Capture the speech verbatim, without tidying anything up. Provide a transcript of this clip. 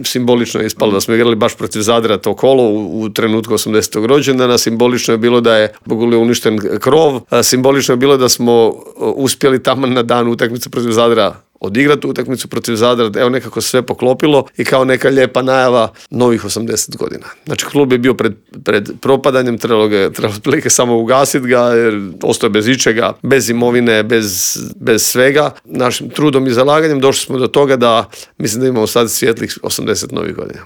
Simbolično je ispalo da smo igrali baš protiv Zadra to kolo u, u trenutku osamdesetog rođendana, simbolično je bilo da je Bogulje uništen krov, simbolično je bilo da smo uspjeli tamo na dan utakmice protiv Zadra odigrati utakmicu protiv Zadra, evo nekako sve poklopilo i kao neka lijepa najava novih osamdeset godina. Znači klub je bio pred, pred propadanjem, trebalo ga trebalo prilike samo ugasiti ga jer ostao bez ičega, bez imovine, bez, bez svega. Našim trudom i zalaganjem došli smo do toga da mislim da imamo sad svijetlih osamdeset novih godina.